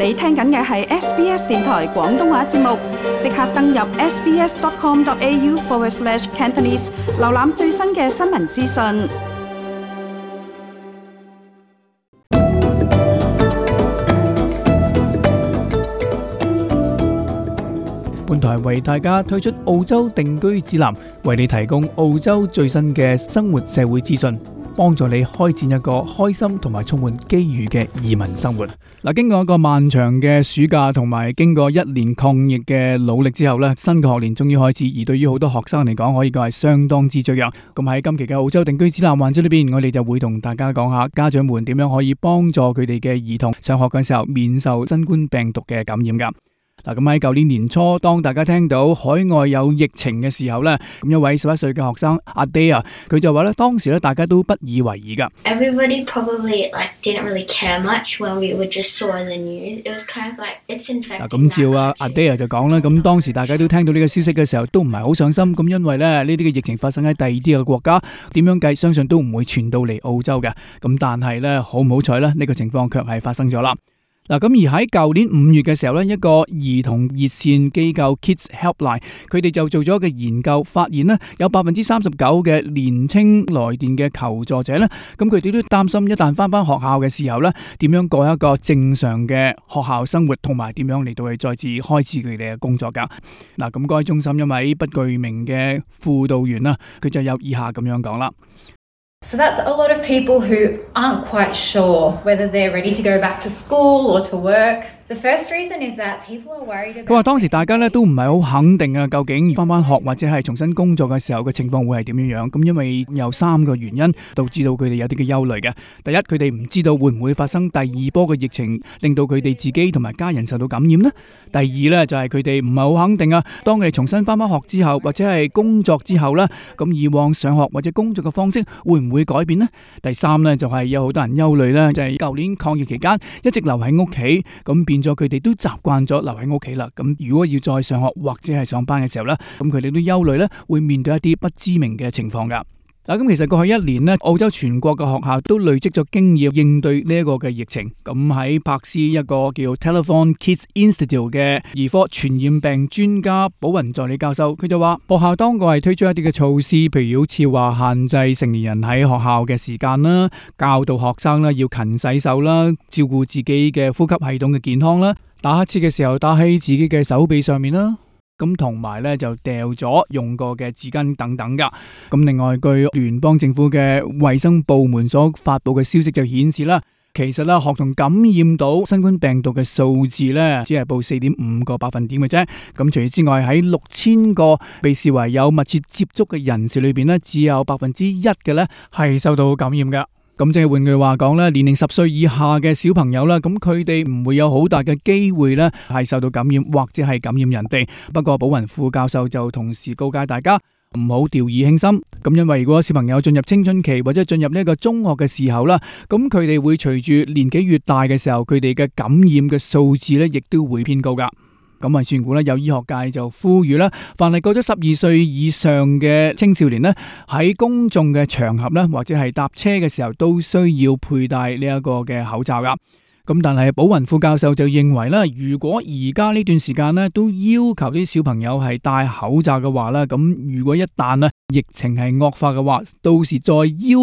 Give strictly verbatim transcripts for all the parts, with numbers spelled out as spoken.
你聽緊嘅係 S B S 電台廣東話節目，即刻登入 sbs.com.au forward slash Cantonese， 瀏覽最新嘅新聞資訊。本台為大家推出澳洲定居指南，為你提供澳洲最新嘅生活社會資訊，幫助你開展一個開心同埋充滿機遇嘅移民生活。嗱，經過一個漫長嘅暑假同埋經過一年抗疫嘅努力之後呢，新嘅學年終於開始，而對於好多學生嚟講，可以講係相當之雀躍。咁喺今期嘅澳洲定居指南環節裏邊，我哋就會同大家講下家長們點樣可以幫助佢哋嘅兒童上學嘅時候免受新冠病毒嘅感染噶。嗱，咁喺舊年年初，當大家聽到海外有疫情嘅時候呢，咁一位十一歲嘅學生阿 Day 佢就話咧，當時咧大家都不以為意噶。Everybody probably like didn't really care much when we would just saw in the news. It was kind of like it's infecting. 嗱，咁照啊阿 Day 就講啦，咁當時大家都聽到呢個消息嘅時候，都唔係好上心，咁因為咧呢啲嘅疫情發生喺第二啲嘅國家，點樣計相信都唔會傳到嚟澳洲嘅。咁但係咧好唔好彩咧，呢個情況卻係發生咗啦。嗱，咁而喺舊年五月嘅時候咧，一個兒童熱線機構 Kids Helpline， 佢哋就做咗一個研究，發現咧有百分之三十九嘅年青來電嘅求助者咧，咁佢哋都擔心一旦翻返學校嘅時候咧，點樣過一個正常嘅學校生活，同埋點樣嚟到去再次開始佢哋嘅工作噶。嗱，咁該中心一位不具名嘅輔導員啦，佢就有以下咁樣講啦。So that's a lot of people who aren't quite sure whether they're ready to go back to school or to work. The first reason is that people are worried about... 佢話當時大家咧都唔係好肯定啊，究竟翻返學或者係重新工作嘅時候嘅情況會係點樣樣。咁因為有三個原因導致到佢哋有啲嘅憂慮嘅。第一，佢哋唔知道會唔會發生第二波嘅疫情，令到佢哋自己同埋家人受到感染呢？第二咧就係佢哋唔係好肯定啊，當佢哋重新翻返學之後或者係工作之後咧，咁以往上學或者工作嘅方式會唔會改變呢？第三咧就係有好多人憂慮咧，就係舊年抗疫期間一直留喺屋企，咁變咗佢哋都習慣咗留喺屋企啦。咁如果要再上學或者係上班嘅時候咧，咁佢哋都憂慮咧會面對一啲不知名嘅情況噶。嗱，咁其實過去一年咧，澳洲全國嘅學校都累積咗經驗應對呢一個嘅疫情。咁喺柏斯一個叫 Telethon Kids Institute 嘅兒科傳染病專家寶雲助理教授，佢就話學校當局係推出一啲嘅措施，譬如好似話限制成年人喺學校嘅時間啦，教導學生啦要勤洗手啦，照顧自己嘅呼吸系統嘅健康啦，打乞嗤嘅時候打喺自己嘅手臂上面啦。咁同埋咧就掉咗用過嘅紙巾等等噶。咁另外據聯邦政府嘅衛生部門所發佈嘅消息就顯示啦，其實啦學童感染到新冠病毒嘅數字咧只係報四點五個百分點嘅啫。咁除此之外，喺六千個被視為有密切接觸嘅人士裏邊咧，只有百分之一嘅咧係受到感染噶。咁即係換句話講咧，年齡十歲以下嘅小朋友啦，咁佢哋唔會有好大嘅機會咧係受到感染或者係感染人哋。不過寶雲副教授就同時告誡大家唔好掉以輕心。咁因為如果小朋友進入青春期或者進入呢個中學嘅時候啦，咁佢哋會隨住年紀越大嘅時候，佢哋嘅感染嘅數字咧亦都會偏高噶。咁啊，算估咧，有醫學界就呼籲啦，凡係過咗十二歲以上嘅青少年呢，喺公眾嘅場合咧，或者係搭車嘅時候，都需要佩戴呢一個嘅口罩噶。咁但係寶雲副教授就認為咧，如果而家呢段時間咧都要求啲小朋友係戴口罩嘅話咧，咁如果一旦咧疫情係惡化嘅話，到時再要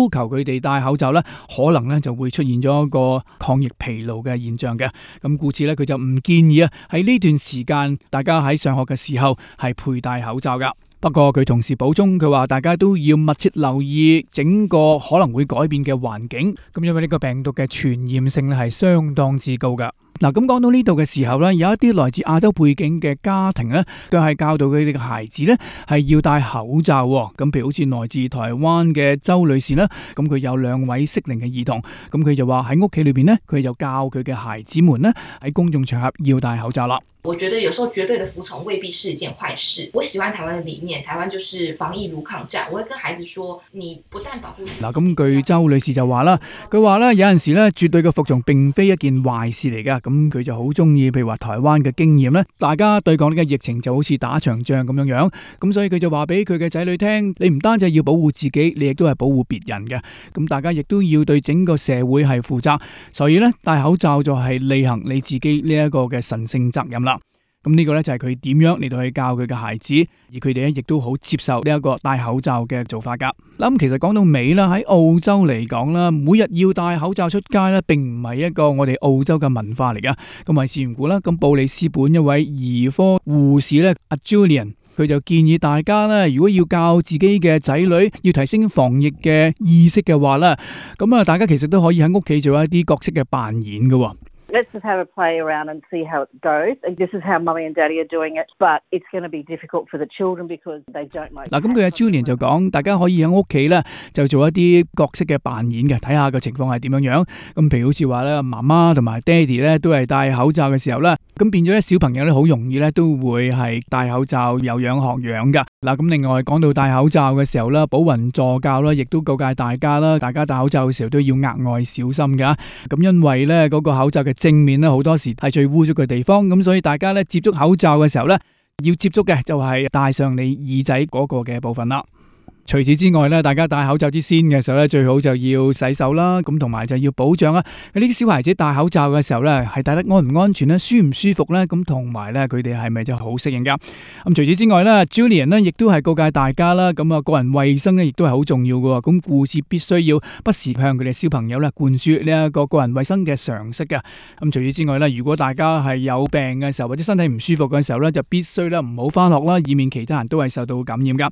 求佢哋戴口罩咧，可能咧就會出現咗一個抗疫疲勞嘅現象嘅。咁故此咧，佢就唔建議啊喺呢段時間大家喺上學嘅時候係佩戴口罩噶。不過佢同時補充，佢話大家都要密切留意整個可能會改變嘅環境，咁因為呢個病毒嘅傳染性咧係相當之高噶。嗱，咁講到呢度嘅時候咧，有一啲來自亞洲背景嘅家庭咧，佢係教導佢哋嘅孩子咧係要戴口罩。咁譬如好似來自台灣嘅周女士啦，咁佢有兩位適齡嘅兒童，咁佢就話喺屋企裏邊咧，佢就教佢嘅孩子們咧喺公眾場合要戴口罩啦。我覺得有時候絕對的服從未必是一件壞事。我喜歡台灣的理念，台灣就是防疫如抗戰。我會跟孩子說，你不但保護自己。嗱，咁據周女士就話啦，佢話咧有陣時咧絕對嘅服從並非一件壞事嚟噶。咁佢就好中意，譬如話台灣嘅經驗咧，大家對抗呢個疫情就好似打場仗咁樣樣。咁所以佢就話俾佢嘅仔女聽，你唔單止要保護自己，你亦都係保護別人嘅。咁大家亦都要對整個社會係負責。所以咧戴口罩就係履行你自己呢一個嘅神聖責任啦。咁呢個咧就係佢點樣嚟到去教佢嘅孩子，而佢哋咧亦都好接受呢一個戴口罩嘅做法噶。咁其實講到尾啦，喺澳洲嚟講啦，每日要戴口罩出街咧，並唔係一個我哋澳洲嘅文化嚟噶。咁為事緣故啦，咁布里斯本一位兒科護士咧，阿 Julian，佢就建議大家咧，如果要教自己嘅仔女要提升防疫嘅意識嘅話咧，咁啊，大家其實都可以喺屋企做一啲角色嘅扮演噶。Let's just have a play around and see how it goes. And this is how mummy and daddy are doing it, but it's going to be difficult for the children because they don't like. 嗱，咁佢阿 Julian 就講，大家可以喺屋企咧就做一啲角色嘅扮演嘅，睇下個情況係點樣樣。咁譬如好似話咧，媽媽同埋爹哋咧都係戴口罩嘅時候咧，咁變咗咧小朋友咧好容易咧都會係戴口罩有樣學樣噶。嗱，咁另外講到戴口罩嘅時候咧，寶雲助教啦，亦都告誡大家啦，大家戴口罩嘅時候都要額外小心噶。咁因為咧嗰個口罩嘅正面咧好多時係最污糟嘅地方，咁所以大家咧接觸口罩嘅時候咧，要接觸嘅就係戴上你耳仔嗰個嘅部分啦。除此之外咧，大家戴口罩之先嘅時候咧，最好就要洗手啦，咁同埋就要保障啦。呢啲小孩子戴口罩嘅時候咧，係戴得安唔安全咧，舒唔舒服咧，咁同埋咧佢哋係咪就好適應噶？咁除此之外咧 ，Julian 咧亦都係告誡大家啦，咁啊個人衛生咧亦都係好重要噶。咁護士必須要不時向佢哋小朋友咧灌輸呢一個個人衛生嘅常識噶。咁除此之外咧，如果大家係有病嘅時候或者身體唔舒服嘅時候咧，就必須咧唔好翻學啦，以免其他人都係受到感染噶。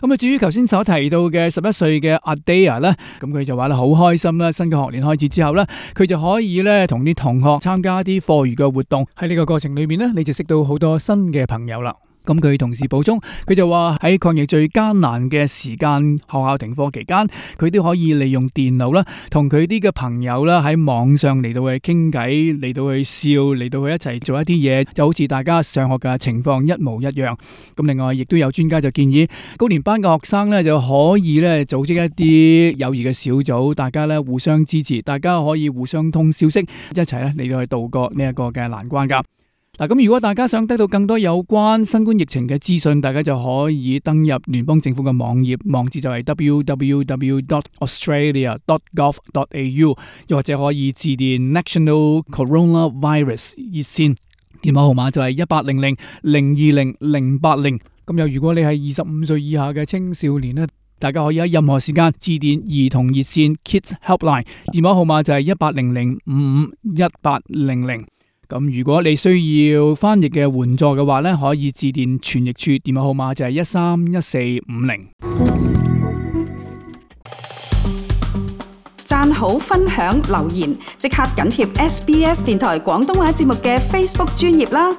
咁啊，至於頭先所提到嘅十一歲嘅 Adair 咧，咁佢就話咧好開心啦，新嘅學年開始之後咧，佢就可以咧同啲同學參加啲課餘嘅活動，喺呢個過程裏面咧，你就識到好多新嘅朋友啦。咁佢同時補充，佢就話喺抗疫最艱難嘅時間，學校停課期間，佢都可以利用電腦啦，同佢啲嘅朋友啦喺網上嚟到去傾偈，嚟到去笑，嚟到去一齊做一啲嘢，就好似大家上學嘅情況一模一樣。咁另外亦都有專家就建議，高年班嘅學生咧就可以咧組織一啲友誼嘅小組，大家咧互相支持，大家可以互相通消息，一齊咧嚟到去度過呢一個嘅難關噶。嗱，咁如果大家想得到更多有關新冠疫情嘅資訊，大家就可以登入聯邦政府嘅網頁，網址就係 double-u double-u double-u dot australia dot gov dot a u， 又或者可以致電 National Coronavirus 熱線，電話號碼就係一八零零零二零零八零。咁又如果你係二十五歲以下嘅青少年呢，大家可以喺任何時間致電兒童熱線 Kids Helpline， 電話號碼就係一八零零五五一八零零。咁如果你需要翻譯嘅援助嘅話咧，可以致電傳譯處，電話號碼就係一三一四五零。讚好、分享、留言，即刻緊貼 S B S 電台廣東話節目嘅 Facebook 專頁啦！